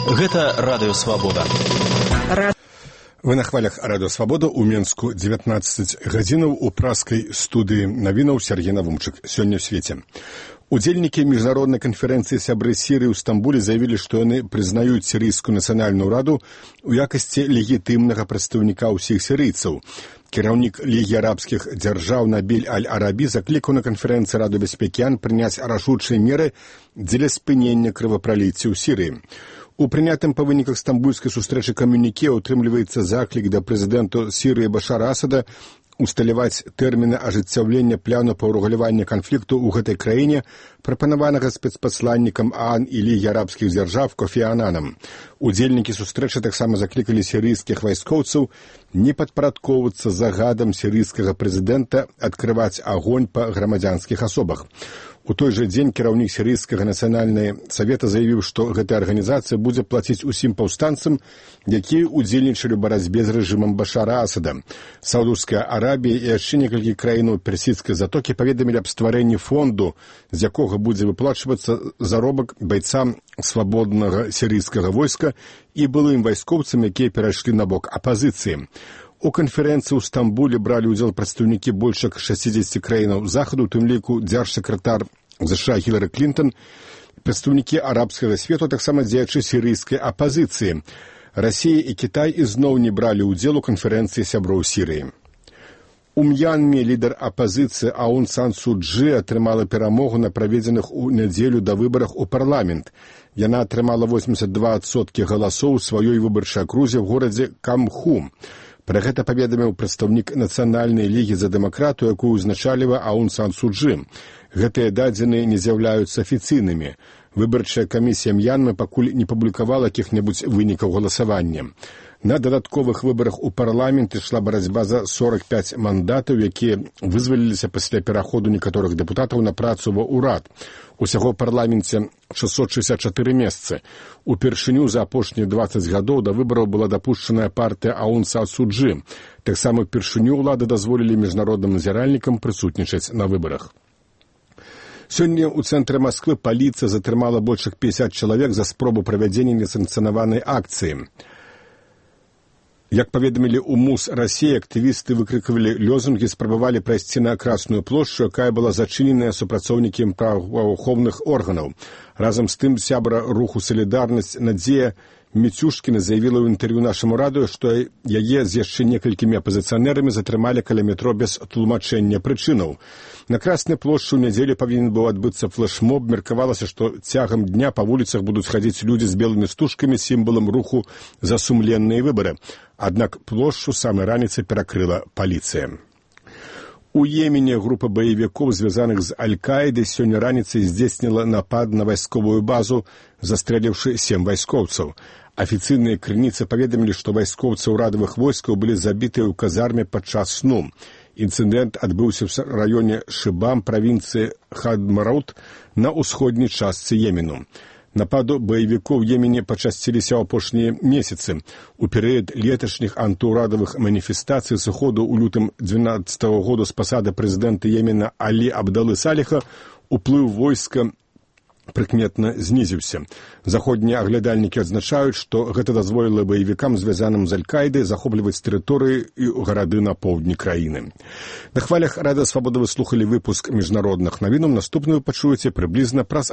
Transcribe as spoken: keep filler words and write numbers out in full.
Гэта Радыё Свабода. Вы на хвалях Радыё Свабода ў Менску дзевятнаццаць гадзінаў у праскай студыі навінаў Сергей Навумчык. Сёння ў свеце. Удзельнікі міжнароднай канферэнцыі сябры Сірыі ў Стамбуле заявілі, што яны прызнаюць сірыйскую нацыянальную раду у якасці легітымнага прадстаўніка ўсіх сірыйцаў. Кіраўнік Лігі арабскіх дзяржаў Набіль Аль-Арабі заклікаў на канферэнцыі Рады бяспекі ООН прыняць рашучыя меры дзеля спынення крывапраліцця ў Сірыі. У прынятым па выніках стамбульскай сустрэчы камюніке ўтрымліваецца заклік да прэзідэнту Сірыі Башара Асада усталяваць тэрміны ажыццяўлення плану па ўрэгуляванні канфлікту ў гэтай краіне, прапанаванага спецпасланнікам ООН і Лігі арабскіх дзяржаў Кофі Ананам. Удзельнікі сустрэчы таксама заклікалі сірыйскіх вайскоўцаў не падпарадкоўвацца загадам сірыйскага прэзідэнта адкрываць агонь па грамадзянскіх асобах. У той жа дзень кіраўнік сірыйскага нацыянальнага савета заявіў, што гэтая арганізацыя будзе плаціць усім паўстанцам, якія ўдзельнічалі ў барацьбе з рэжымам Башара Асада. Саудаўская Арабія і яшчэ некалькі краінаў персідскай затокі паведамілі аб стварэнні фонду, з якога будзе выплачвацца заробак байцам свабоднага сірыйскага войска і былым вайскоўцам, якія перайшлі на бок апазіцыі. У канферэнцыі ў Стамбуле бралі ўдзел прадстаўнікі больш як шэсцідзесяці краінаў захаду, у тым ліку дзяржсакратар ЗША Хілары Клінтон, прадстаўнікі арабскага свету, таксама дзеячы сірыйскай апазіцыі. Расія і Кітай ізноў не бралі ўдзел у канферэнцыі сяброў Сірыі. У М'янме лідар апазіцыі Аун Сан Су Чжы атрымала перамогу на праведзеных у нядзелю да выбарах у парламент. Яна атрымала восемьдесят два адсоткі галасоў у сваёй выбарчай акрузе ў горадзе Камху. Пра гэта паведаміў прадстаўнік Нацыянальнай лігі за дэмакратыю, якую ўзначаліва Аун Сан Су Чжы. Гэтыя дадзеныя не з'яўляюцца афіцыйнымі. Выбарчая камісія М'янмы пакуль не публікавала якіх-небудзь вынікаў галасавання. На дадатковых выбарах у парламент ішла барацьба за сорок пяць мандатаў, якія вызваліліся пасля пераходу некаторых дэпутатаў на працу ва ўрад. Усяго ў парламенце шэсцьсот шэсцьдзесят чатыры месцы. Упершыню за апошнія дваццаць гадоў да выбараў была дапушчаная партыя Аун Сан Су Чжы. Таксама упершыню ўлады дазволілі міжнародным назіральнікам прысутнічаць на выбарах. Сёння ў цэнтры Масквы паліцыя затрымала больш як пятьдесят чалавек за спробу правядзення несанкцыянаванай акцыі. Як паведамілі ў МУС Расіі, актывісты выкрыквалі лёзунгі, спрабавалі прайсці на Красную плошчу, якая была зачыненая супрацоўнікамі праваахоўных органаў. Разам з тым сябра руху «Салідарнасць» Надзея Міцюшкіна заявіла ў інтэрв'ю нашаму радыё, што яе з яшчэ некалькімі апазіцыянерамі затрымалі каля метро без тлумачэння прычынаў. На Краснай плошчы ў нядзелю павінен быў адбыцца флэшмоб. Меркавалася, што цягам дня па вуліцах будуць хадзіць людзі з белымі стужкамі, сімвалам руху за сумленныя выбары. Аднак плошчу самай раніцай перакрыла паліцыя. У Йемене група баевікоў, звязаных з Аль-Каідай, сёння раніцай здзейсніла напад на вайсковую базу, застрэліўшы сем вайскоўцаў. Афіцыйныя крыніцы паведамілі, што вайскоўцы ўрадавых войскаў былі забітыя ў казарме падчас сну. Інцыдэнт адбыўся ў раёне Шыбам, правінцыі Хадмраут, на ўсходняй частцы Йемену. Нападу баевікоў у Йемене пачасціліся ў апошнія месяцы. У перыяд леташніх антыўрадавых маніфестацый сыходу ў лютым дванаццатага года з пасады прэзідэнта Йемена Алі Абдалы Саліха уплыў войска прыкметна знізіўся. Заходнія аглядальнікі адзначаюць, што гэта дазволіла баевікам, звязаным з Аль-Каідай, захопліваць тэрыторыі і гарады на поўдні краіны. На хвалях Радыё Свабода вы слухалі выпуск міжнародных навінаў. Наступны вы пачуеце прыблізна праз